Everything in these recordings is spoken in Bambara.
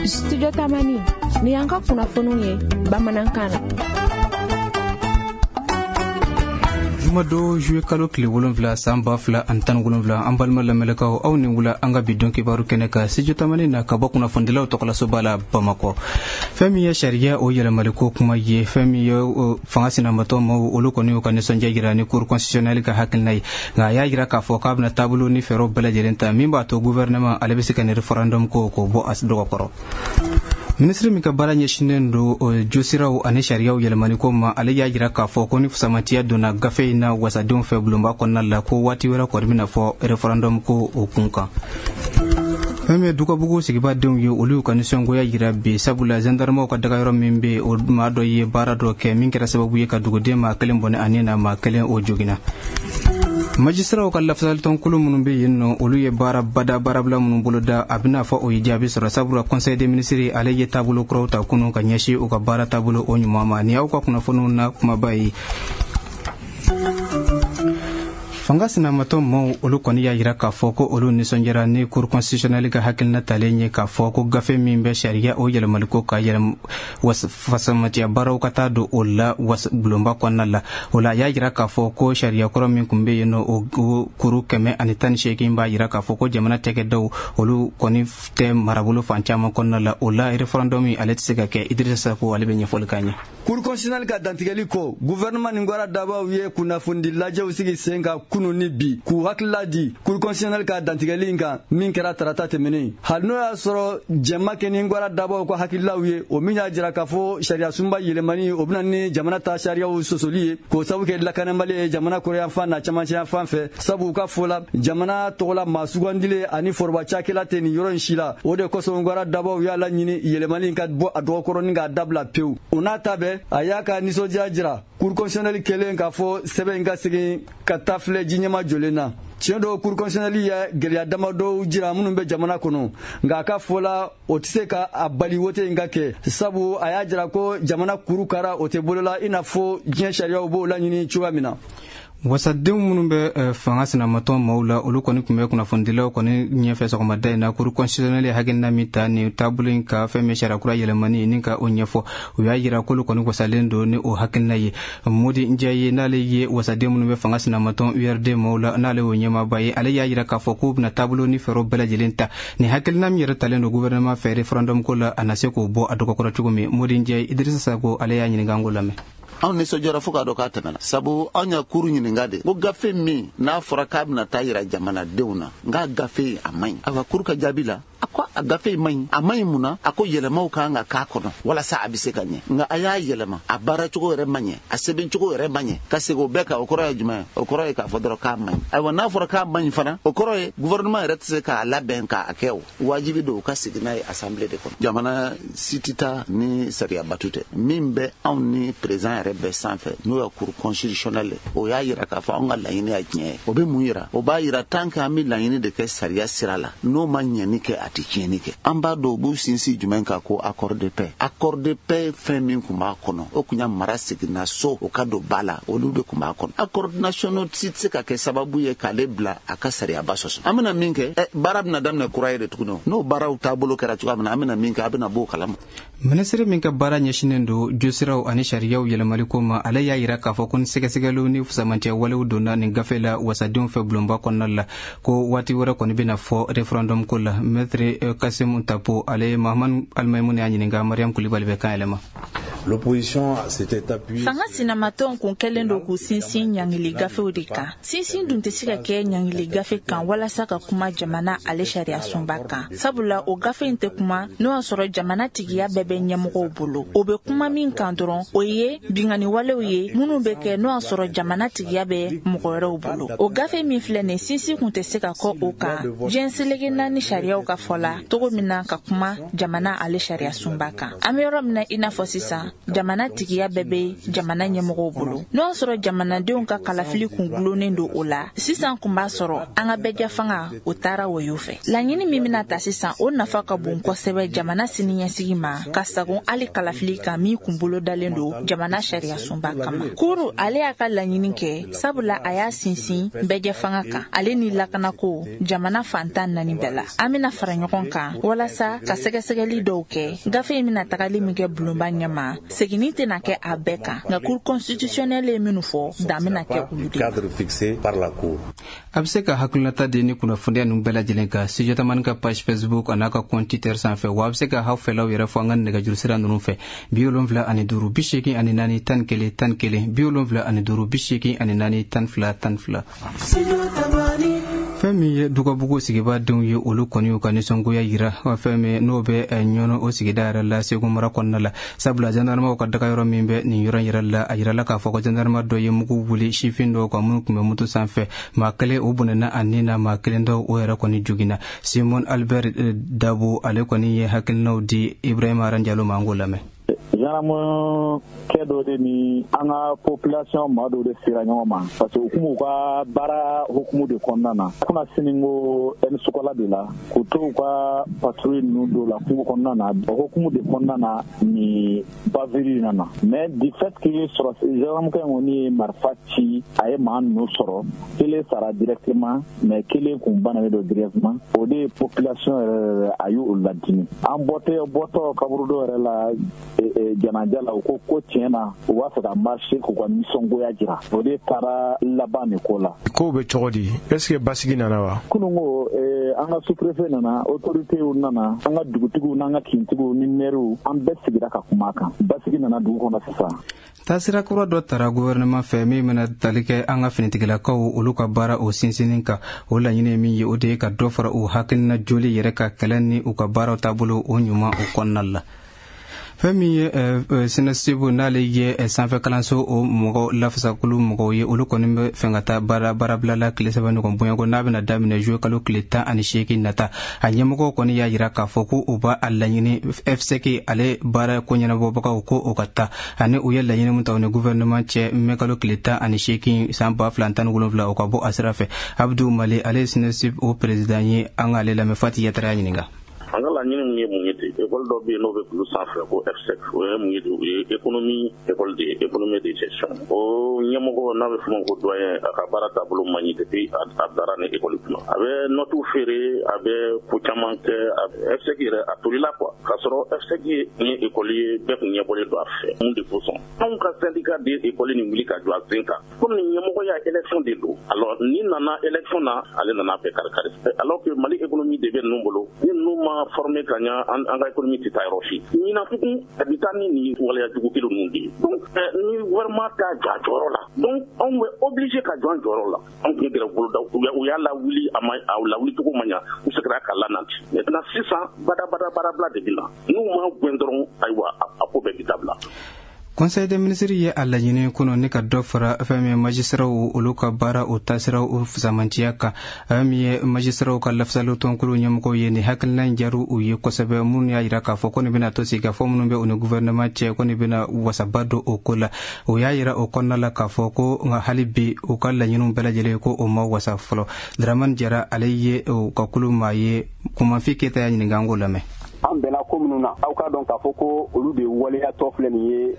Studio Tamani ni y'an ka kunnafoniw ye bamanankan na. Jumadon juillet kalo tile 7 san 2017, an balima lamɛnlɛkaw, aw ni wula an ka bi don kibaru kɛnɛ kan Studio Tamani na ka bɔ kunnafonidilaw tɔgɔlasoba la Bamakɔ. Fɛn min ye sariya o yɛlɛmaliko kuma ye, fɛn min ye fanga sinamatɔ maaw, olu kɔni y'u ka nisɔndiya jira ni cour constitutionnelle ka hakilina ye, nka a y'a jira k'a fɔ k'a bɛna taabolo ni fɛɛrɛw bɛɛ lajɛlen ta min b'a to gouvernement ale bɛ se ka nin référendum ko k'o bɔ a dɔgɔkɔrɔ. Minisiri min ka baara ɲɛsinnen don josiraw ani sariyaw yɛlɛmaliko ma, ale y'a jira k'a fɔ ko ni fisamantiya donna gafe in na wasadenw fɛ bulonba kɔnɔna la, ko waati wɛrɛ kɔni bɛna fɔ référendum ko o kun kan. Fɛn min ye Dukabugu sigibadenw ye, olu y'u ka nisɔngoya jira bi, sabula gendarmew ka dagayɔrɔ min bɛ yen, o maa dɔ ye baara dɔ kɛ min kɛra sababu ye ka duguden maa kelen bɔnɛ ani na maa kelen o joginna. Majisiraw ka lafasalitɔnkulu minnu bɛ yen nɔ, olu ye baara bada baarabila minnu boloda, a bɛna fɔ o ye jaabi sɔrɔ, sabula conseil des ministres ale ye taabolo kuraw ta kunun ka ɲɛsin u ka baara taabolo o ɲuman ma. Nin y'aw ka kunnafoniw na kumaba ye. Fanga sinamatɔ maaw, olu kɔni y'a jira k'a fɔ ko olu nisɔndiyara ni cour constitutionnelle ka hakilina talen ye k'a fɔ ko gafe min bɛ sariya o yɛlɛmaliko ka yɛlɛm fasamatiya baaraw ka taa don o la bulonba kɔnɔna la. O la, a y'a jira k'a fɔ ko sariya kɔrɔ min tun bɛ yen nɔ, o kuru 118 b'a jira k'a fɔ ko jamana cakɛdaw, olu kɔni tɛ marabolo fan caman kɔnɔna la. O la, référendum ale tɛ se ka kɛ. Idrissa Sako, ale bɛ ɲɛfɔli k'an ye. Cour constitutionnelle ka dantigɛli kɔ, gouvernement ni gwara dabaw ye kunnafonidi lajɛw sigi sen kan kunu ni bi k'u hakilila di Cour constitutionnelle ka dantigɛli in kan min kɛra tarata tɛmɛnen. Hali n'o y'a sɔrɔ jɛma kɛ ni gwara dabaw ka hakililaw ye, o min y'a jira k'a fɔ sariya sunba yɛlɛmani, o bɛna ni jamana ta sariyaw sɔsɔli ye, k'o sabu kɛ lakanabali ye jamana kɔrɔyanfan n'a camancɛyanfan fɛ, sabu u ka fɔ la, jamana tɔgɔla maa sugandilen ani foroba cakɛla tɛ nin yɔrɔ in si la. O de kosɔn, gwara dabaw y'a laɲini yɛlɛmani ka bɔ a dɔgɔkɔrɔ ni k'a dabila pewu. O n'a ta bɛɛ, a y'a ka nisɔndiya jira Cour constitutionnelle kɛlen k'a fɔ sɛbɛn in ka segin ka taa filɛ ji ɲɛma jɔlen na. Tiɲɛ don, Cour constitutionnelle ye gɛlɛya damadɔw jira minnu bɛ jamana kɔnɔ, nka a ka fɔ la, o tɛ se ka a bali wote in ka kɛ, sabu a y'a jira ko jamana kuru kara o tɛ bolola i n'a fɔ diɲɛ sariyaw b'o laɲini cogoya min na. Wasadenw minnu bɛ fanga sinamatɔn maaw la, olu kɔni tun bɛ kunnafonidilaw kɔni ɲɛfɛ sɔgɔmada in na, cour constitutionnelle ye hakilina min ta nin taabolo in ka fɛn min sariya kura yɛlɛmani ni ka o ɲɛfɔ, u y'a jira k'olu kɔni wasalen don ni o hakilina ye. Modi Njaye, n'ale ye wasaden minnu bɛ fanga sinamatɔn URD maaw la, n'ale y'o ɲɛmaaba ye, ale y'a jira k'a fɔ k'u bɛna taabolo ni fɛɛrɛw bɛɛ lajɛlen ta nin hakilina min yɛrɛ talen don gouvernement fɛ référendum ko la, a na se k'o bɔ a dɔgɔkɔrɔ cogo min. Modi Njaye, Idrissa Sako ale y'a ɲininka, an k'o lamɛn. Anw nisɔndiyara fo k'a dɔn k'a tɛmɛna, sabu anw y'a kuru ɲininka de ko gafe min n'a fɔra k'a bɛna taa yira jamanadenw na, n k'a gafe a man ɲi. Ayiwa, kuru ka jaabi la, a ko a gafe in man ɲi. A man ɲi mun na? A ko yɛlɛmaw kan ka k'a kɔnɔ walasa a bɛ se ka ɲɛ, nka a y'a yɛlɛma, a baaracogo yɛrɛ man ɲɛ, a sɛbɛncogo yɛrɛ man ɲɛ. Ka segin o bɛɛ kan, o kɔrɔ ye jumɛn ye? O kɔrɔ ye k'a fɔ dɔrɔn k'a man ɲi. Ayiwa, n'a fɔra k'a man ɲi fana, o kɔrɔ ye gouvernement yɛrɛ tɛ se k'a labɛn k'a kɛ. O wajibi don u ka segin n'a ye assemblée de kɔnɔ. Jamana si tɛ taa ni sariya batu tɛ. Min bɛ anw ni président yɛrɛ bɛɛ sanfɛ, n'o ye cour constitutionnelle, o y'a yira k'a fɔ anw ka laɲini y'a tiɲɛ ye. O bɛ mun yira? O b'a yira tant que an bɛ laɲini de kɛ sariya sira la, n'o ma ɲɛni kɛ, a tɛ tiɲɛni kɛ. An b'a dɔn u b'u sinsin jumɛn kan? Ko accord de paix. Accord de paix, fɛn min tun b'a kɔnɔ, o tun y'a mara seginna so, o ka don ba la, olu de tun b'a kɔnɔ. Accord nationaux si tɛ se ka kɛ sababu ye k'ale bila a ka sariyaba sɔsɔ. An bɛna min kɛ, baara bɛna daminɛ kura ye de tuguni. N'o baaraw taabolo kɛra cogoya min na, an bɛna min kɛ, a bɛna b'o kalama. Minisiri min ka baara ɲɛsinnen don josiraw ani sariyaw yɛlɛmaliko ma, ale y'a jira k'a fɔ ko ni sɛgɛsɛgɛliw ni fusamantiya walew donna nin gafe la wasadenw fɛ bulonba kɔnɔna la, ko waati wɛrɛ kɔni bɛna fɔ référendum ko la. Maître Kasimu Tapo, ale Mahamadu Alimayimu y'a ɲininka, Mariam Kulibali bɛ kan yɛlɛma. Fanga sinamatɔnw kun kɛlen don k'u sinsin ɲangili gafew de kan. Sinsin dun tɛ se ka kɛ ɲangili gafe kan walasa ka kuma jamana ale sariya sunba kan, sabula o gafe in tɛ kuma n'o y'a sɔrɔ jamana tigiya bɛɛ bɛ ɲɛmɔgɔw bolo. O bɛ kuma min kan dɔrɔn, o ye binkanni walew ye minnu bɛ kɛ n'o y'a sɔrɔ jamana tigiya bɛ mɔgɔ wɛrɛw bolo. O gafe min filɛ nin, sinsin kun tɛ se ka kɔ o kan diɲɛ seleke naani sariyaw ka fɔ la cogo min na ka kuma jamana ale sariya sunba kan. An bɛ yɔrɔ min na i n'a fɔ sisan, jamana tigiya bɛɛ bɛ jamana ɲɛmɔgɔw bolo. N'o y'a sɔrɔ jamanadenw ka kalafili kun gulonnen don o la, sisan kun b'a sɔrɔ an ka bɛɛjɛ fanga o taara woyo fɛ. Laɲini min bɛna ta sisan, o nafa ka bon kosɛbɛ jamana siniɲɛsigi ma. ka sagon hali kalafili kan min kun bolodalen don jamana sariyasunba kama. Kuru ale y'a ka laɲini kɛ, sabula a y'a sinsin bɛɛjɛ fanga kan ale ni lakanako jamana fan 14 bɛɛ la. An bɛna fara ɲɔgɔn kan walasa ka sɛgɛsɛgɛli dɔw kɛ. Gafe in bɛna tagali min kɛ bulonba ɲɛma, seginni tɛna kɛ a bɛɛ kan, nka Cour constitutionnelle ye minnu fɔ, dan bɛna kɛ olu de la. A bɛ se ka hakilinata di ni kunnafoniya ninnu bɛɛ lajɛlen kan Studio Tamani ka page Facebook a n'a ka compte Twitter sanfɛ, wa a bɛ se ka aw fɛlaw yɛrɛ fɔ an ka nɛgɛjuru sira ninnu fɛ: 75 84 11 11, 75 84 12 12. Fɛn min ye Dugabugu sigibadenw ye, olu kɔni y'u ka nisɔngoya yira fɛn min n'o bɛ Ɲɔnɔ, o sigida yɛrɛ la, Segu mara kɔnɔna la, sabula gendarmew ka daga yɔrɔ min bɛ nin yɔrɔ in yɛrɛ la, a yirala k'a fɔ ko gendarme dɔ ye mugu wuli sifin dɔw kan minnu tun bɛ moto sanfɛ. Maa kelen o bɔnɛna a nin na, maa kelen dɔw o yɛrɛ kɔni joginna. Simon Albert Dabo, ale kɔni ye hakilinaw di Ibrahima Aranjalo ma, an k'o lamɛn. Gendarme kɛ dɔ de ni an ka population maa dɔw de sera ɲɔgɔn ma, parce que u kun b'u ka baara hukumu de kɔnɔna na kunna sini ko ɛni sukola de la k'u to u ka patrouille ninnu dɔw la kungo kɔnɔna na. O hukumu de kɔnɔna na ni bavure nana, mais du fait que sɔrɔ gendarme kɛ in kɔni ye marifa ci, a ye maa ninnu sɔrɔ, kelen sara directement, mais kelen kun bananen don directement. O de ye population yɛrɛ a y'o ladimi. An bɔtɔ bɔtɔ kaburudo yɛrɛ la janaja la, u ko ko tiɲɛ na u b'a fɛ ka marcher k'u ka nisɔngoya jira. O de taara laban nin ko la. Kow bɛ cogo di? Est ce que basigi nana wa? Kunun ko an ka sous-préfet nana, autorités nana, an ka dugutigiw n'an ka kintigiw ni maires, an bɛɛ sigira ka kuma kan. Basigi nana dugu kɔnɔ sisan. Taasira kura dɔ tara gouvernement fɛ min bɛna tali kɛ an ka finitigilakaw olu ka baara o sinsinni kan. O laɲini ye min ye, o de ye ka dɔ fara u hakilina joli yɛrɛ ka kɛlɛ ni u ka baaraw taabolo o ɲuman o kɔnɔna la. Fɛn min ye SYNASUP, n'ale ye sanfɛ kalanso o mɔgɔ lafasakulu mɔgɔw ye, olu kɔni bɛ fɛn ka taa baara baarabila la tile 3 ɲɔgɔn bonyako n'a bɛna daminɛ juillet kalo tile 18 nata. A ɲɛmɔgɔw kɔni y'a yira k'a fɔ ko u b'a a laɲini FSEC ale baara ko ɲɛnabɔbagaw ko o ka taa, ani u ye laɲini min ta u ni gouvernement cɛ mai kalo tile 18 san 2017, o ka bɔ a sira fɛ. Abdou Mali, ale ye SYNASUP o président ye, an k'ale lamɛn. Fati Yatara y'a ɲininka. An ka laɲini min ye mun ye ten, école dɔ bɛ yen n'o bɛ kulu sanfɛ ko FSEC, o ye mun ye, o ye économie école de ye, économie de gestion. O ɲɛmɔgɔ n'a bɛ f'o ma ko doyen, a ka baara taabolo man ɲi depuis a dara ni école kunna. A bɛ notes feere, a bɛ ko caman kɛ. FSEC yɛrɛ a tolila quoi, k'a sɔrɔ FSEC ye école ye bɛɛ kun ɲɛbɔlen don a fɛ. Mun de kosɔn anw ka syndicat de ye école nin wuli ka jɔ a sen kan? Komi ɲɛmɔgɔ ya élection de don, alors ni nana élection na, ale nana bɛɛ kari kari, alors que Mali économie de bɛ ninnu bolo. Ni ninnu ma formé ka ɲa, an ka économie tɛ taa yɔrɔ si. Ɲinan tugun a bɛ taa ni nin waleya jugu kelen ninnu de ye. Donc ni gouvernement t'a jɔ a jɔyɔrɔ la, donc anw bɛ obligé ka jɔ an jɔyɔrɔ la. Anw tun ye grève boloda, u y'a lawuli, a ma a lawuli cogo ma ɲa, u seginna ka lanati. Maintenant sisan badabada baarabila de bɛ na, n'u ma gɛn dɔrɔn, ayiwa, a ko bɛɛ bɛ dabila. Conseil des ministres ye a laɲini kɔnɔ ni ka dɔ fara fɛn min magistraw olu ka baara o taasiraw o fisamantiya kan. Fɛn min ye magistraw ka lafasali tɔnkulu ɲɛmɔgɔw ye, nin hakilina in diyara u ye kosɛbɛ, minnu y'a yira k'a fɔ ko nin bɛna to sigikafɔ minnu bɛ u ni gouvernement cɛ, ko nin bɛna wasaba don o ko la. O y'a yira o kɔnɔna la k'a fɔ ko nka hali bi u ka laɲiniw bɛɛ lajɛlen ko o ma wasa fɔlɔ. Dramani Jara, ale ye u ka kulu maa ye. Kumanfi Keyita y'a ɲininka, an k'o lamɛn. An bɛnna ko minnu na, aw k'a dɔn k'a fɔ ko olu de waleyatɔ filɛ nin ye.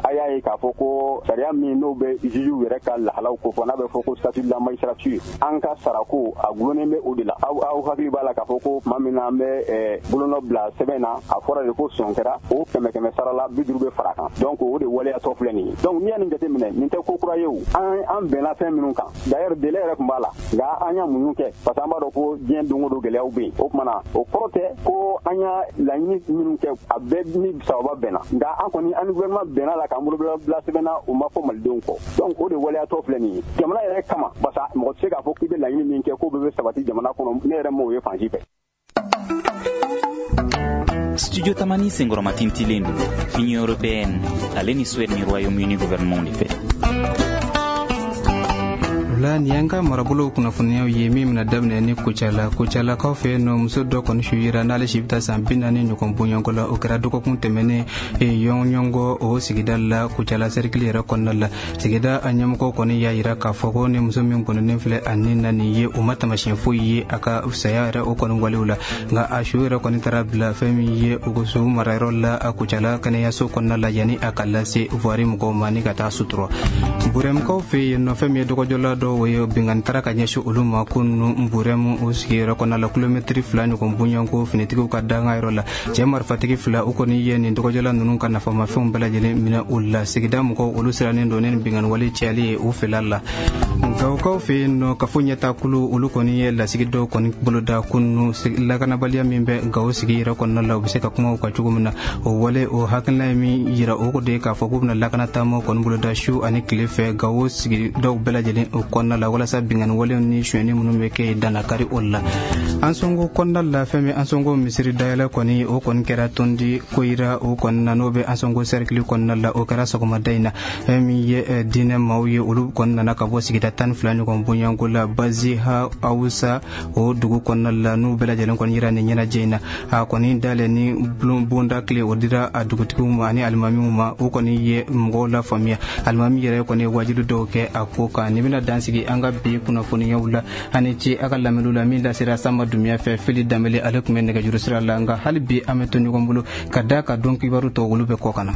A y'a ye k'a fɔ ko sariya min n'o bɛ jugew yɛrɛ ka lahalaw kofɔ, n'a bɛ fɔ ko statut de la magistrature, an ka sarako a gulonnen bɛ o de la. Aw hakili b'a la k'a fɔ ko tuma min na an bɛ bolonɔ bila sɛbɛn na, a fɔra de ko sɔn kɛra o kɛmɛ kɛmɛ sara la 50 bɛ fara kan. Donc o de waleyatɔ filɛ nin ye. Donc n'i y'a nin jateminɛ, nin tɛ ko kura ye o. An bɛnna fɛn minnu kan, d'ailleurs délai yɛrɛ tun b'a la, nka an y'a muɲu kɛ parce que an b'a dɔn ko diɲɛ don o don gɛlɛyaw bɛ yen. O tuma na o kɔrɔ tɛ ko an y'a laɲini minnu kɛ a bɛɛ ni sababa bɛnna, nka an kɔni an ni gouvernement bɛnna la k'an bolo bila sɛbɛn na, o ma fɔ malidenw kɔ. Donc o de waleyatɔ filɛ nin ye jamana yɛrɛ kama, parce que mɔgɔ tɛ se k'a fɔ k'i bɛ laɲini min kɛ k'o bɛɛ bɛ sabati jamana kɔnɔ. Ne yɛrɛ m'o ye fan si fɛ. Studio Tamani senkɔrɔmatintilen don Union européenne ale ni Suède ni Royaume-Uni gouvernement de fɛ. O la, nin y'an ka marabolow kunnafoniyaw ye min bɛna daminɛ ni Kucala. Kucalakaw fɛ yen nɔ, muso dɔ kɔni su yera n'ale si bɛ taa san 40 ɲɔgɔn bɔɲɔgɔn la. O kɛra dɔgɔkun tɛmɛnen Yɔɲɔgɔn o sigida la, Kucala sɛrikili yɛrɛ kɔnɔna la. Sigida a ɲɛmɔgɔw kɔni y'a yira k'a fɔ ko ni muso min kɔnɔnen filɛ a ni na nin ye, o ma tamasiyɛn foyi ye a ka saya yɛrɛ o kɔni walew la. Nka a su yɛrɛ kɔni taara bila fɛn min ye o so marayɔrɔ la a Kucala kɛnɛyaso kɔnɔna la, yanni a ka lase voirie mɔgɔw ma ni ka taa sutura. Burɛmukaw fɛ yen nɔ, fɛn min ye dɔgɔjɔla dɔw ye, binkanni taara ka ɲɛsin olu ma ko ninnu Burɛmu o sigiyɔrɔ kɔnɔna la, kilomɛtiri 2 ɲɔgɔn bonyanko finitigiw ka danga yɔrɔ la. Cɛ marifatigi fila, u kɔni ye nin dɔgɔjɔla ninnu ka nafamafɛnw bɛɛ lajɛlen minɛ u la. Sigida mɔgɔw, olu sirannen don ni binkanni wale cayali ye u fɛla la. Gawukaw fɛ yen nɔ, kafo ɲɛtakulu, olu kɔni ye lasigi dɔw kɔni boloda kunun, lakanabaliya min bɛ Gawo sigi yɛrɛ kɔnɔna la, u bɛ se ka kuma u kan cogo min na. O wale o hakilina ye min yira, o de ye k'a fɔ k'u bɛna lakana taamaw kɔni boloda su ani tile fɛ Gawo sigidaw bɛɛ lajɛlen o kɔnɔna la, walasa binkanni walew ni sonyɛni minnu bɛ kɛ yen, danakari o la. Ansongo kɔnɔna la, fɛn min Ansongo misiri dayɛlɛ kɔni, o kɔni kɛra Tondi Koyira o kɔni na, n'o bɛ Ansongo sɛrikili kɔnɔna la. O kɛra sɔgɔmada in na. Fɛn min ye diinɛ maaw ye, olu kɔni nana ka bɔ sigida 12 ɲɔgɔn bonyanko la, Baziha Awusa o dugu kɔnɔna la, n'u bɛɛ lajɛlen kɔni yira nin ɲɛnajɛ in na. A kɔni dayɛlɛ ni bonda tile, o dira a dugutigiw ma ani alimamiw ma. O kɔni ye mɔgɔw la faamuya. Alimami yɛrɛ kɔni ye wajibi dɔw kɛ a ko kan. Nin bɛna dan sigi an ka bi kunnafoniyaw la. Ani ci a ka lamɛnniw la, min lasera Sanba Dumiya fɛ, Fili Danbele ale tun bɛ nɛgɛjuru sira la. Nka hali bi an bɛ to ɲɔgɔn bolo ka da ka don kibaru tɔ, olu bɛ kɔ ka na.